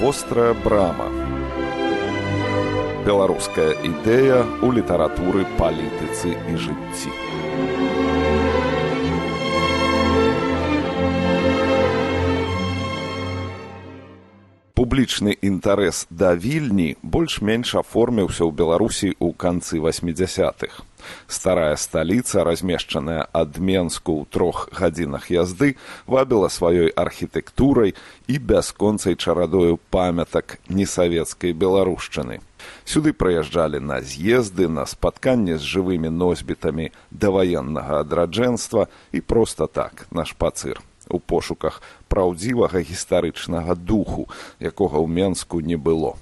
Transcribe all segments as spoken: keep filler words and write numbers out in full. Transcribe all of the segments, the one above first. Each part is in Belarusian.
Вострая брама. Беларуская ідэя ў літаратуры, палітыцы і жыцці. Публічны інтарэс да Вільні больш-менш аформіўся ў Беларусі ў канцы васьмідзясятых. Старая сталіца, размешчаная ад Менску ў трох гадзінах язды, вабіла сваёй архітэктурай і бясконцай чарадою памятак несавецкай беларушчыны. Сюды прыязджалі на з'езды, на спатканні з жывымі носьбітамі даваеннага адраджэнства і проста так, на шпацыр, у пошуках праўдзівага гістарычнага духу, якога ў Менску не было.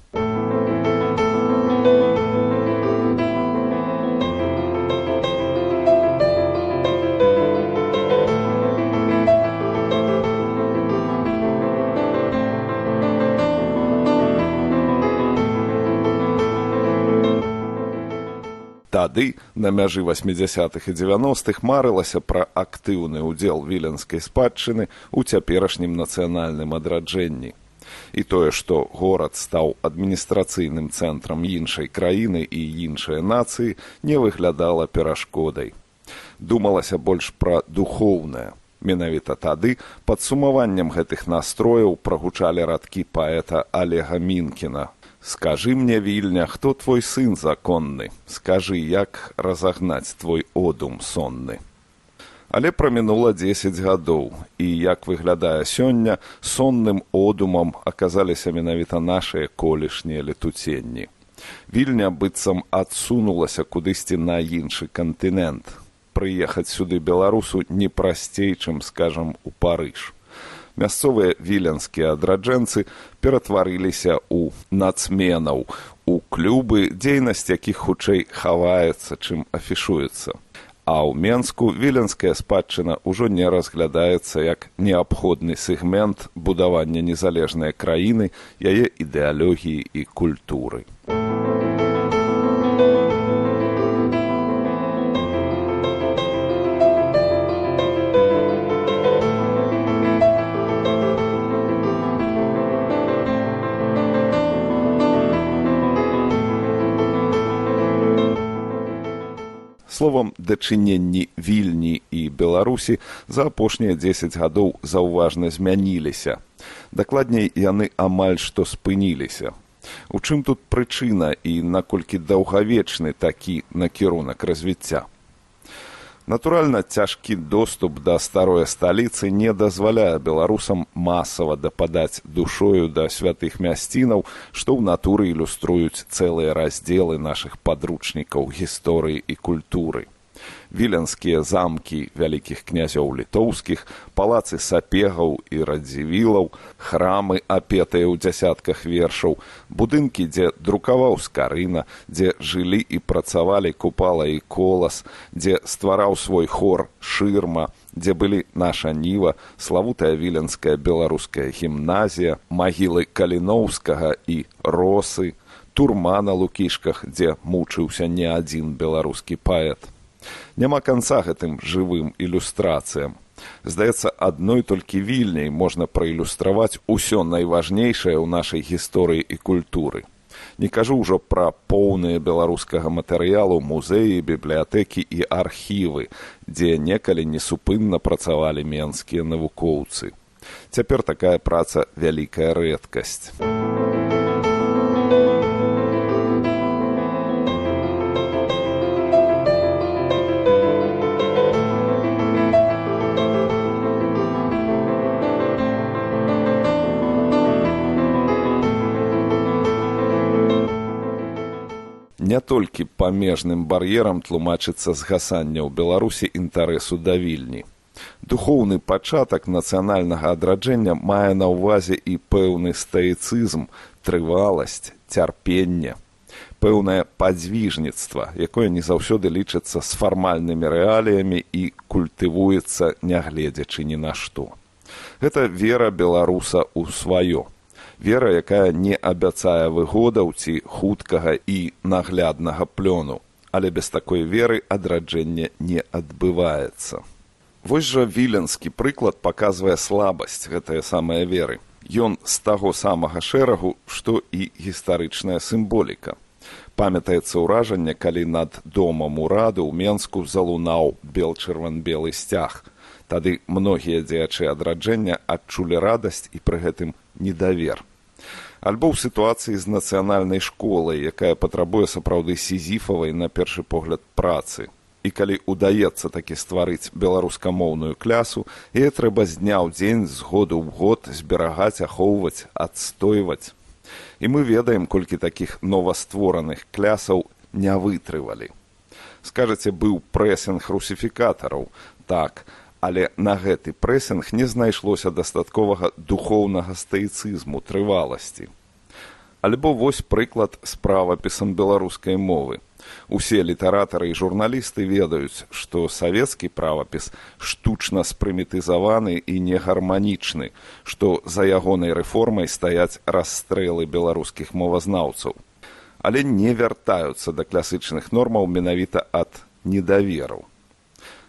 Тады, на мяжы васьмідзясятых і дзевяностых, марылася пра актыўны ўдзел віленскай спадчыны ў цяперашнім нацыянальным адраджэнні. І тое, што горад стаў адміністрацыйным цэнтрам іншай краіны і іншай нацыі, не выглядала перашкодай. Думалася больш пра духоўнае. Менавіта тады пад сумаваннем гэтых настрояў прагучалі радкі паэта Олега Мінкіна. «Скажи мне, Вільня, хто твой сын законны? Скажи, як разагнаць твой одум сонны?» Але прамінула дзесяць гадоў, і, як выглядае сёння, сонным одумам аказаліся менавіта нашыя колішнія летуценні. Вільня быццам адсунулася кудысьці на іншы кантынент. Прыехаць сюды беларусу не прасцей, чым, скажам, у Парыж. Мясцовыя віленскія адраджэнцы ператварыліся ў нацменаў, у клубы, дзейнасць якіх хутчэй хаваецца, чым афішуецца. А ў Менску віленская спадчына ўжо не разглядаецца як неабходны сегмент будавання незалежнай краіны, яе ідэалогіі і культуры. Словам, дачыненні Вільні і Беларусі за апошнія дзесяць гадоў заўважна змяніліся. Дакладней, яны амаль што спыніліся. У чым тут прычына і наколькі даўгавечны такі накірунак развіцця? Натуральна, цяжкі доступ да старой сталіцы не дазваляе беларусам масава дападаць душою да святых мясцінаў, што ў натуры ілюструюць цэлыя раздзелы нашых падручнікаў гісторыі і культуры. Віленскія замкі вялікіх князёў літоўскіх, палацы сапегаў і радзівілаў, храмы, апетыя ў дзясятках вершаў, будынкі, дзе друкаваў Скарына, дзе жылі і працавалі Купала і Колас, дзе ствараў свой хор Шырма, дзе былі наша Ніва, славутая віленская беларуская гімназія, магілы Каліноўскага і Росы, турма на Лукішках, дзе мучыўся не адзін беларускі паэт. Няма канца гэтым жывым ілюстрацыям. Здаецца, адной толькі Вільняй можна праілюстраваць усё найважнейшае ў нашай гісторыі і культуры. Не кажу ўжо пра поўныя беларускага матэрыялу музеі, бібліятэкі і архівы, дзе некалі несупынна працавалі менскія навукоўцы. Цяпер такая праца вялікая рэдкасць. Не толькі памежным бар'ерам тлумачыцца згасанне ў Беларусі інтарэсу да Вільні. Духоўны пачатак нацыянальнага адраджэння мае на ўвазе і пэўны стаіцызм, трываласць, цярпенне, пэўнае падзвіжніцтва, якое не заўсёды лічыцца з фармальнымі рэаліямі і культывуецца, нягледзячы ні на што. Гэта вера беларуса ў сваё. Вера, якая не абяцае выгодаў ці хуткага і нагляднага плёну, але без такой веры адраджэнне не адбываецца. Вось жа віленскі прыклад паказвае слабасць гэтае самае веры. Ён з таго самага шэрагу, што і гістарычная сімволіка. Памятаецца ўражанне, калі над домам ураду ў Менску залунаў бел-чырван-белы сцяг. Тады многія дзеячы адраджэння адчулі радасць і пры гэтым недавер. Альбо ў сітуацыі з нацыянальнай школай, якая патрабуе сапраўды сізіфавай на першы погляд працы. І калі ўдаецца такі стварыць беларускамоўную клясу, яе трэба з дня ў дзень, з году ў год зберагаць, ахоўваць, адстойваць. І мы ведаем, колькі такіх новаствораных клясаў не вытрывалі. Скажаце, быў прэсінг русіфікатараў. Так, але на гэты прэсінг не знайшлося дастатковага духоўнага стаіцызму, трываласці. Альбо вось прыклад з правапісам беларускай мовы. Усе літаратары і журналісты ведаюць, што савецкі правапіс штучна спрымітызаваны і негарманічны, што за ягонай рэформай стаяць расстрэлы беларускіх мовазнаўцаў. Але не вяртаюцца да класычных нормаў менавіта ад недаверу.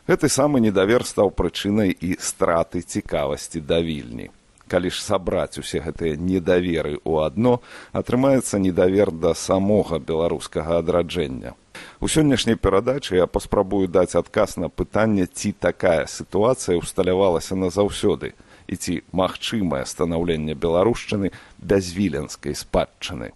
Гэты самы недавер стаў прычынай і страты цікавасці да Вільні. Калі ж сабраць усе гэтыя недаверы ў адно, атрымаецца недавер да самога беларускага адраджэння. У сённяшняй перадачы я паспрабую даць адказ на пытанне, ці такая сітуацыя ўсталявалася назаўсёды, і ці магчымае станаўленне беларушчыны без віленскай спадчыны.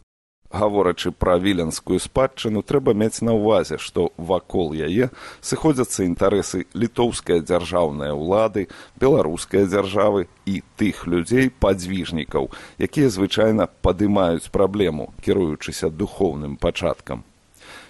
Гаворачы пра віленскую спадчыну, трэба мець на ўвазе, што вакол яе сыходзяцца інтарэсы літоўскай дзяржаўнай улады, беларускай дзяржавы і тых людзей, падзвіжнікаў, якія звычайна падымаюць праблему, кіруючыся духоўным пачаткам.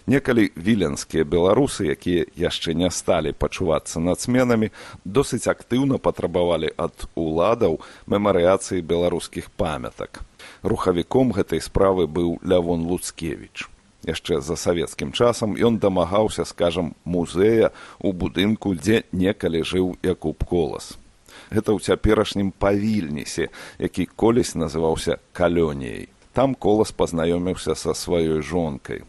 Некалі віленскія беларусы, якія яшчэ не сталі пачувацца нацменамі, досыць актыўна патрабавалі ад уладаў мемарыяцыі беларускіх памятак. Рухавіком гэтай справы быў Лявон Луцкевіч. Яшчэ за савецкім часам ён дамагаўся, скажам, музея ў будынку, дзе некалі жыў Якуб Колас. Гэта ў цяперашнім Павільнісе, які колісь называўся Калёніяй. Там Колас пазнаёміўся са сваёй жонкай.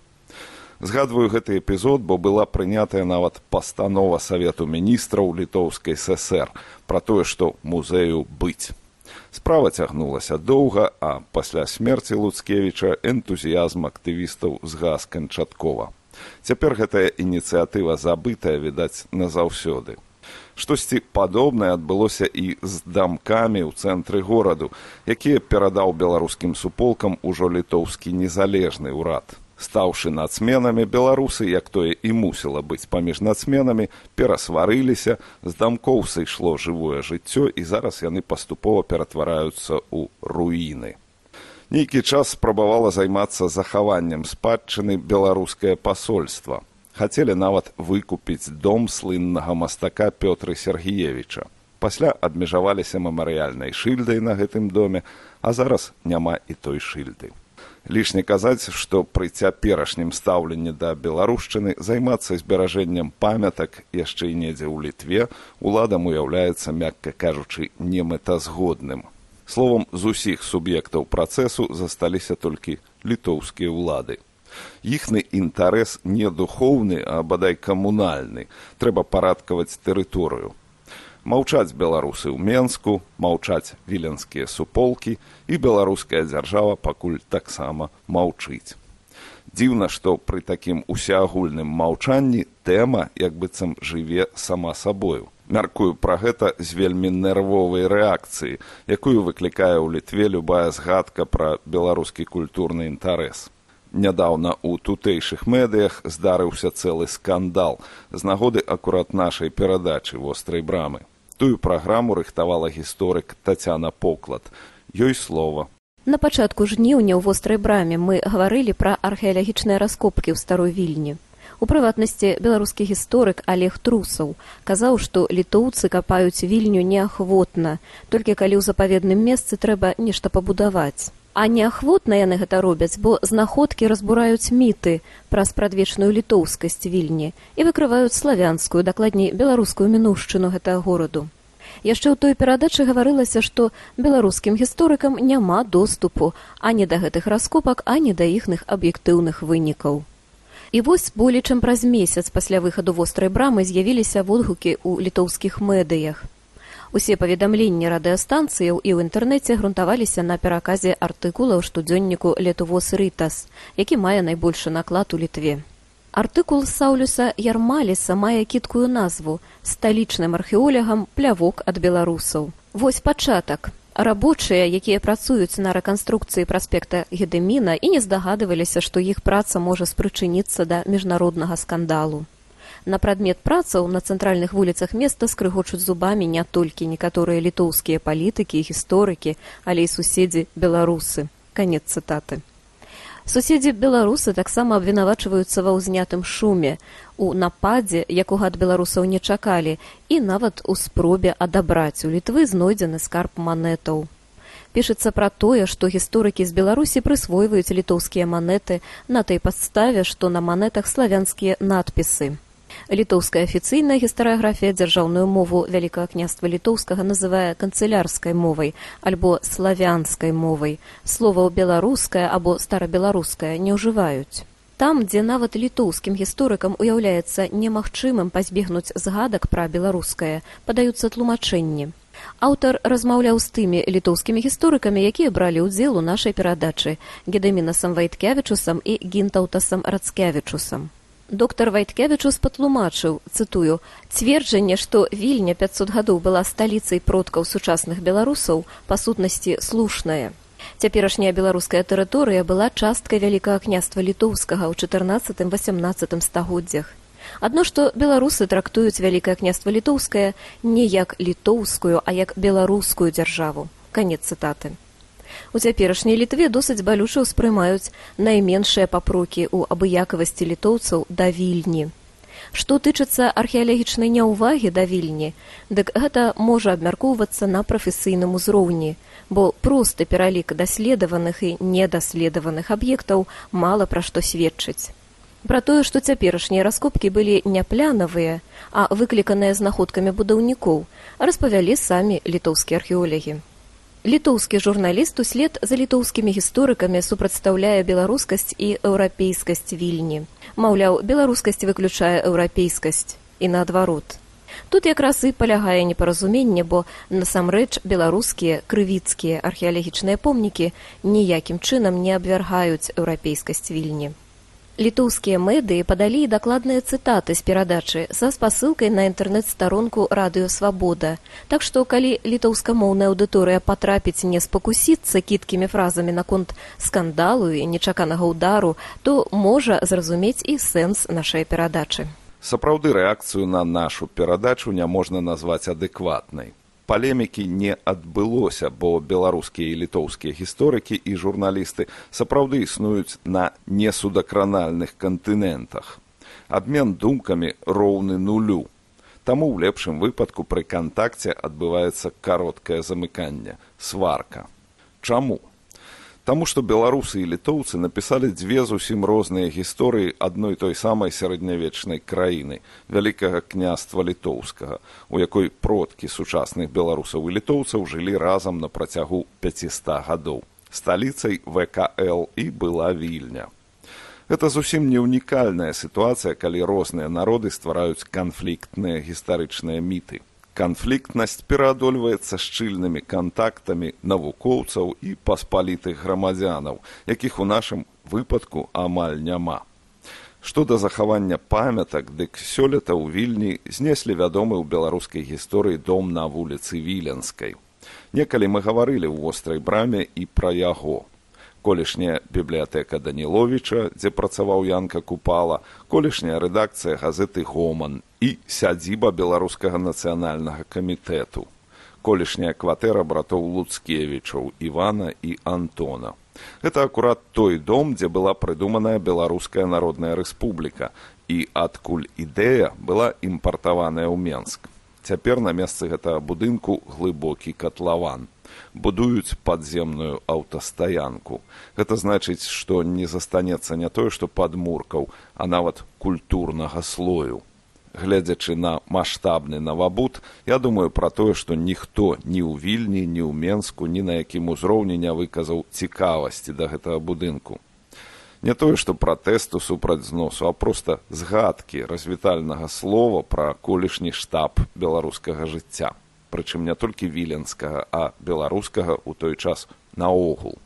Згадваю гэты эпізод, бо была прынятая нават пастанова Савету міністраў Літоўскай ССР пра тое, што музею быць. Справа цягнулася доўга, а пасля смерці Луцкевіча энтузіязм актывістаў згас канчаткова. Цяпер гэтая ініцыятыва забытая, відаць, назаўсёды. Штосьці падобнае адбылося і з дамкамі ў цэнтры гораду, якія перадаў беларускім суполкам ужо літоўскі незалежны ўрад. Стаўшы нацменамі, беларусы, як тое і мусіла быць паміж нацменамі, перасварыліся, з дамкоў сышло жывое жыццё, і зараз яны паступова ператвараюцца ў руіны. Нейкі час спрабавала займацца захаваннем спадчыны беларускае пасольства. Хацелі нават выкупіць дом слыннага мастака Пётры Сергеевіча. Пасля абмежаваліся мемарыяльнай шыльдай на гэтым доме, а зараз няма і той шыльды. Лішне казаць, што пры цяперашнім стаўленні да беларушчыны займацца зберажэннем памятак яшчэ і недзе ў Літве уладам уяўляецца, мякка кажучы, немэтазгодным. Словам, з усіх суб'ектаў працэсу засталіся толькі літоўскія ўлады. Іхны інтарэс не духоўны, а бадай камунальны. Трэба парадкаваць тэрыторыю. Маўчаць беларусы ў Менску, маўчаць віленскія суполкі, і беларуская дзяржава пакуль таксама маўчыць. Дзіўна, што пры такім усеагульным маўчанні тэма, як быццам, жыве сама сабою. Мяркую пра гэта з вельмі нервовай рэакцыі, якую выклікае ў Літве любая згадка пра беларускі культурны інтарэс. Нядаўна ў тутэйшых медыях здарыўся цэлы скандал з нагоды акурат нашай перадачы «Вострай брамы». Тую праграму рыхтавала гісторык Тацяна Поклад. Ёй слова. На пачатку жніўня ў «Вострай браме» мы гаварылі пра археалагічныя раскопкі ў Старой Вільні. У прыватнасці, беларускі гісторык Олег Трусаў казаў, што літоўцы капаюць Вільню неахвотна, толькі калі ў запаведным месцы трэба нешта пабудаваць. А неахвотна яны гэта робяць, бо знаходкі разбураюць міты пра спрадвечную літоўскасць Вільні і выкрываюць славянскую, дакладней беларускую мінуўшчыну гэтага гораду. Яшчэ ў той перадачы гаварылася, што беларускім гісторыкам няма доступу ані да гэтых раскопак, ані да іхных аб'ектыўных вынікаў. І вось болей чым праз месяц пасля выхаду «Вострай брамы» з'явіліся водгукі ў літоўскіх медыях. Усе паведамленні радыёстанцыяў і ў інтэрнэце грунтаваліся на пераказе артыкула ў штодзённіку «Летувос Ритас», які мае найбольшы наклад у Літве. Артыкул Саулюса Ярмаліса мае кідкую назву «Сталічным археолягам плявок ад беларусаў». Вось пачатак. Рабочыя, якія працуюць на рэканструкцыі праспекта Гедэміна і не здагадываліся, што іх праца можа спрычыніцца да міжнароднага скандалу. На прадмет працаў на цэнтральных вуліцах места скрыгочуць зубамі не толькі некаторыя літоўскія палітыкі і гісторыкі, але і суседзі беларусы. Канец цытаты. Суседзі беларусы таксама абвінавачваюцца ва ўзнятым шуме, у нападзе, якога ад беларусаў не чакалі, і нават у спробе адабраць у Літвы знойдзены скарб манетаў. Пішацца пра тое, што гісторыкі з Беларусі прысвойваюць літоўскія манеты на той падставе, што на манетах славянскія надпісы. Літоўская афіцыйная гістарыяграфія дзяржаўную мову Вялікага княства літоўскага называе канцылярскай мовай альбо славянскай мовай. Словаў беларуская або старабеларуская не ўжываюць. Там, дзе нават літоўскім гісторыкам уяўляецца немагчымым пазбегнуць згадак пра беларускае, падаюцца тлумачэнні. Аўтар размаўляў з тымі літоўскімі гісторыкамі, якія бралі ўдзел у нашай перадачы Гедэмінасам Вайткевічусам і Гінтаўтасам Рацкевічусам. Доктар Вайткевічус патлумачыў, цытую, «Цверджанне, што Вільня пяцьсот гадоў была сталіцай продкаў сучасных беларусаў, па сутнасці слушнае. Цяперашняя беларуская тэрыторыя была часткай Вялікага княства літоўскага ў чатырнаццатым-васямнаццатым стагоддзях. Адно, што беларусы трактуюць Вялікае княства літоўскае не як літоўскую, а як беларускую дзяржаву». Канец цытаты. У цяперашняй Літве досыць балюча ўспрымаюць найменшыя папрокі ў абыякавасці літоўцаў да Вільні. Што тычыцца археалагічнай няўвагі да Вільні, дык гэта можа абмяркоўвацца на прафесійным узроўні, бо просты пералік даследаваных і недаследаваных аб'ектаў мала пра што сведчыць. Пра тое, што цяперашнія раскопкі былі не планавыя, а выкліканыя знаходкамі будаўнікоў, распавялі самі літоўскія археолагі. Літоўскі журналіст услед за літоўскімі гісторыкамі супрацьстаўляе беларускасць і еўрапейскасць Вільні. Маўляў, беларускасць выключае еўрапейскасць і наадварот. Тут якраз і палягае непаразуменне, бо насамрэч беларускія крывіцкія археалагічныя помнікі ніякім чынам не абвяргаюць еўрапейскасць Вільні. Літоўскія медыі падалі дакладныя цытаты з перадачы са спасылкай на інтэрнэт-старонку «Радыё Свабода». Так што, калі літоўскамоўная аўдыторыя патрапіць не спакусіцца кідкімі фразамі наконт скандалу і нечаканага ўдару, то можа зразумець і сэнс нашай перадачы. Сапраўды рэакцыю на нашу перадачу не можна назваць адэкватнай. Палемікі не адбылося, бо беларускія і літоўскія гісторыкі і журналісты сапраўды існуюць на несудакранальных кантынентах. Абмен думкамі роўны нулю. Таму ў лепшым выпадку пры кантакце адбываецца кароткае замыканне, сварка. Чаму? Таму што беларусы і літоўцы напісалі дзве зусім розныя гісторыі адной той самай сярэднявечнай краіны, Вялікага княства літоўскага, у якой продкі сучасных беларусаў і літоўцаў жылі разам на працягу пяціста гадоў. Сталіцай вэ ка эл і была Вільня. Гэта зусім не ўнікальная сітуацыя, калі розныя народы ствараюць канфліктныя гістарычныя міты. Канфліктнасць пераадольваецца шчыльнымі кантактамі навукоўцаў і паспалітых грамадзянаў, якіх у нашым выпадку амаль няма. Што да захавання памятак, дык сёлета ў Вільні знеслі вядомы ў беларускай гісторыі дом на вуліцы Віленскай. Некалі мы гаварылі ў вострай браме і пра яго. Колішняя бібліятэка Даніловіча, дзе працаваў Янка Купала, колішняя рэдакцыя газеты «Гоман» і сядзіба Беларускага нацыянальнага камітэту, колішняя кватэра братоў Луцкевічаў, Івана і Антона. Гэта акурат той дом, дзе была прыдуманая Беларуская народная рэспубліка, і адкуль ідэя была імпартаваная ў Менск. Цяпер на месцы гэтага будынку глыбокі катлаван. Будуюць падземную аўтастаянку. Гэта значыць, што не застанецца не тое, што падмуркаў, а нават культурнага слою. Гледзячы на маштабны навабуд, я думаю пра тое, што ніхто ні ў Вільні, ні ў Менску, ні на якім узроўні не выказаў цікавасці да гэтага будынку. Не тое, што пратэсту супраць зносу, а проста згадкі развітальнага слова пра колішні штаб беларускага жыцця. прычым не толькі віленскага, а беларускага ў той час наогул.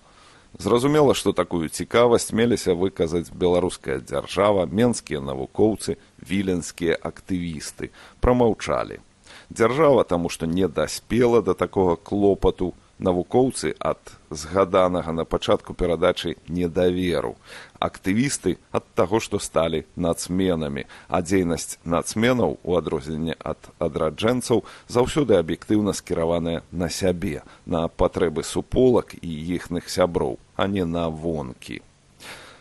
Зразумела, што такую цікавасць меліся выказаць беларуская дзяржава, менскія навукоўцы, віленскія актывісты. Прамаўчалі. Дзяржава, таму што не даспела да такога клопату, навукоўцы ад згаданага на пачатку перадачы недаверу, актывісты ад таго, што сталі нацменамі, а дзейнасць нацменаў, у адрозненне ад адраджэнцаў, заўсёды аб'ектыўна скіраваная на сябе, на патрэбы суполак і іхных сяброў, а не на вонкі.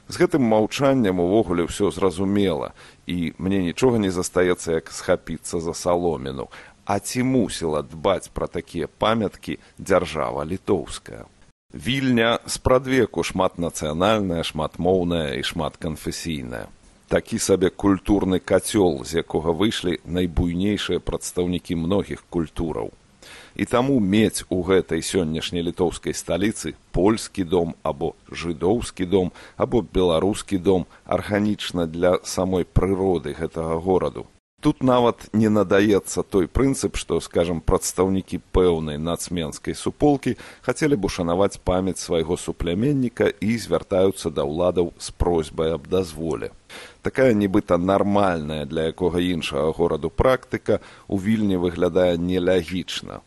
З гэтым маўчаннем увогуле ўсё зразумела, і мне нічога не застаецца, як схапіцца за саломіну. А ці мусіла дбаць пра такія памяткі дзяржава літоўская? Вільня спрадвеку шматнацыянальная, шматмоўная і шматканфесійная. Такі сабе культурны кацёл, з якога выйшлі найбуйнейшыя прадстаўнікі многіх культураў. І таму мець у гэтай сённяшняй літоўскай сталіцы польскі дом або жыдоўскі дом або беларускі дом арганічна для самой прыроды гэтага гораду. Тут нават не надаецца той прынцып, што, скажам, прадстаўнікі пэўнай нацменскай суполкі хацелі б ушанаваць памяць свайго супляменніка і звяртаюцца да ўладаў з просьбай аб дазволе. Такая нібыта нармальная для якога іншага гораду практыка у Вільні выглядае нелагічна.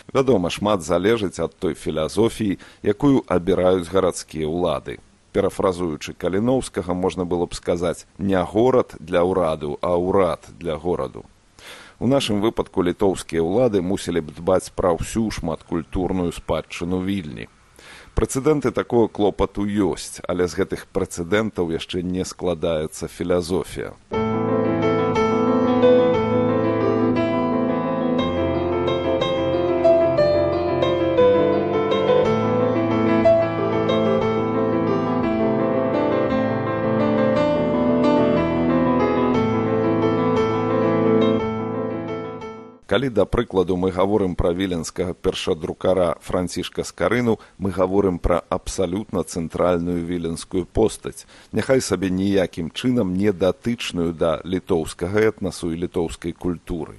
Вядома, шмат залежыць ад той філасофіі, якую абіраюць гарадскія ўлады. Перафразуючы Каліноўскага, можна было б сказаць не горад для ўраду, а ўрад для гораду. У нашым выпадку літоўскія ўлады мусілі б дбаць пра ўсю шматкультурную спадчыну Вільні. Прэцэдэнты такого клопату ёсць, але з гэтых прэцэдэнтаў яшчэ не складаецца філасофія. Калі, да прыкладу, мы гаворым пра віленскага першадрукара Францішка Скарыну, мы гаворым пра абсалютна цэнтральную віленскую постаць, няхай сабе ніякім чынам не датычную да літоўскага этнасу і літоўскай культуры.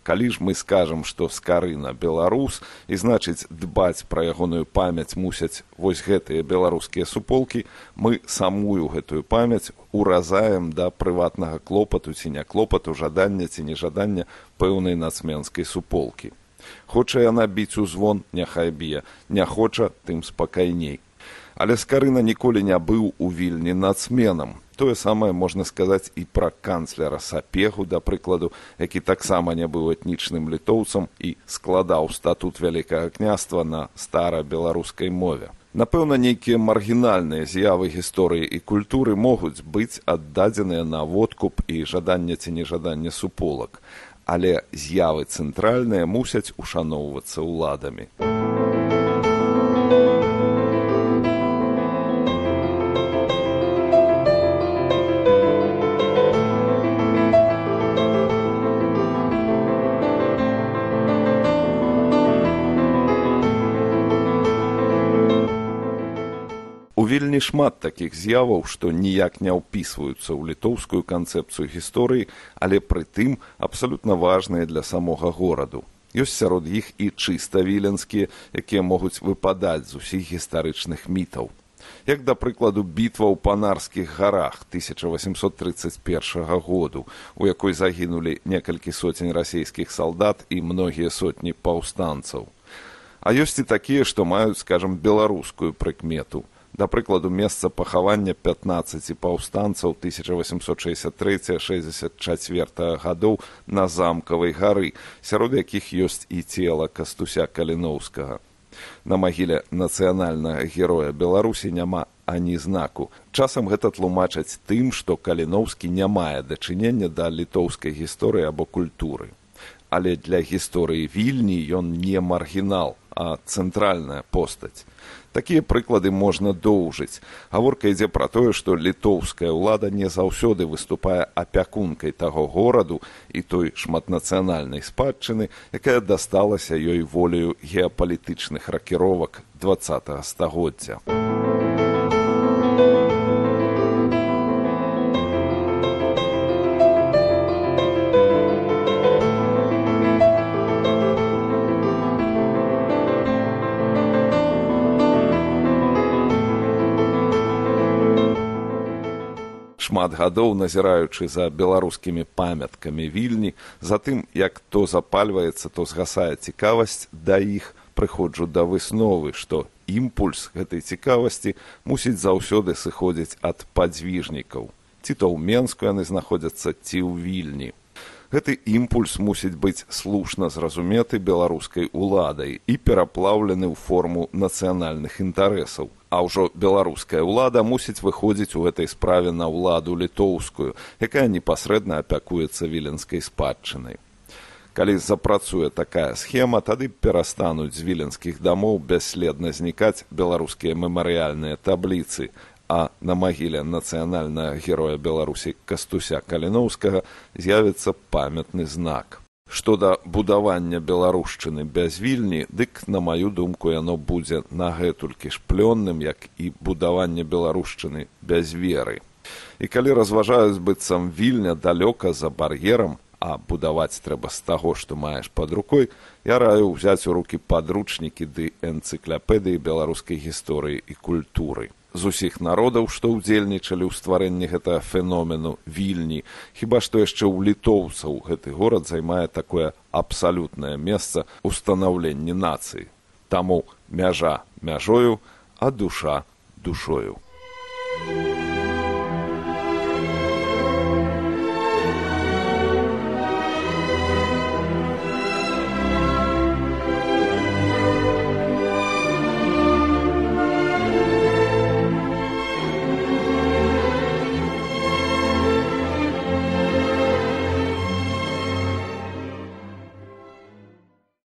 Калі ж мы скажам, што Скарына беларус, і значыць дбаць пра ягоную памяць мусяць вось гэтыя беларускія суполкі, мы самую гэтую памяць уразаем да прыватнага клопату ці не клопату, жадання ці нежадання пэўнай нацменскай суполкі. Хоча яна біць у звон, няхай б'е, не хоча, тым спакайней. Але Скарына ніколі не быў у Вільні нацменам. Тое самае можна сказаць і пра канцлера Сапегу, да прыкладу, які таксама не быў этнічным літоўцам і складаў статут Вялікага княства на стара-беларускай мове. Напэўна, нейкія маргінальныя з'явы гісторыі і культуры могуць быць аддадзеныя на водкуп і жаданне ці нежаданне суполак, але з'явы цэнтральныя мусяць ушаноўвацца ўладамі. Вельмі шмат такіх з'яваў, што ніяк не ўпісваюцца ў літоўскую канцэпцыю гісторыі, але прытым абсалютна важныя для самога гораду. Ёсць сярод іх і чыста віленскія, якія могуць выпадаць з усіх гістарычных мітаў. Як, да прыкладу, бітва ў Панарскіх гарах тысяча васемсот трыццаць першага году, у якой загінулі некалькі сотень расійскіх салдат і многія сотні паўстанцаў. А ёсць і такія, што маюць, скажам, беларускую прыкмету. Да прыкладу, месца пахавання пятнаццаці паўстанцаў тысяча васемсот шэсцьдзесят трэцяга — шэсцьдзесят чацвёртага гадоў на Замкавай гары, сярод якіх ёсць і цела Кастуся Каліноўскага. На магіле нацыянальнага героя Беларусі няма ані знаку. Часам гэта тлумачаць тым, што Каліноўскі не мае дачынення да літоўскай гісторыі або культуры. Але для гісторыі Вільні ён не маргінал, а цэнтральная постаць. Такія прыклады можна доўжыць. Гаворка ідзе пра тое, што літоўская ўлада не заўсёды выступае апякункай таго гораду і той шматнацыянальнай спадчыны, якая дасталася ёй волею геапалітычных ракіровак дваццатага стагоддзя. шмат гадоў назіраючы за беларускімі памяткамі Вільні, за тым, як то запальваецца, то згасае цікавасць да іх, прыходжу да высновы, што імпульс гэтай цікавасці мусіць заўсёды сыходзіць ад падзвіжнікаў. Ці то ў Менску яны знаходзяцца, ці ў Вільні. Гэты імпульс мусіць быць слушна зразуметы беларускай уладай і пераплаўлены ў форму нацыянальных інтарэсаў. А ўжо беларуская ўлада мусіць выходзіць у гэтай справе на ўладу літоўскую, якая непасрэдна апякуецца віленскай спадчынай. Калі запрацуе такая схема, тады перастануць з віленскіх дамоў бясследна знікаць беларускія мемарыяльныя табліцы, а на магіле нацыянальнага героя Беларусі Кастуся Каліноўскага з'явіцца памятны знак. Што да будавання беларушчыны без Вільні, дык, на маю думку, яно будзе нагэтулькі ж плённым, як і будаванне беларушчыны без веры. І калі разважаюць быццам Вільня далёка за бар'ерам, а будаваць трэба з таго, што маеш пад рукой, я раю ўзяць у рукі падручнікі ды энцыкляпедыі беларускай гісторыі і культуры. З усіх народаў, што ўдзельнічалі ў стварэнні гэтага феномену Вільні, хіба што яшчэ ў літоўцаў гэты горад займае такое абсалютнае месца ў станаўленні нацыі. Таму мяжа мяжою, а душа душою.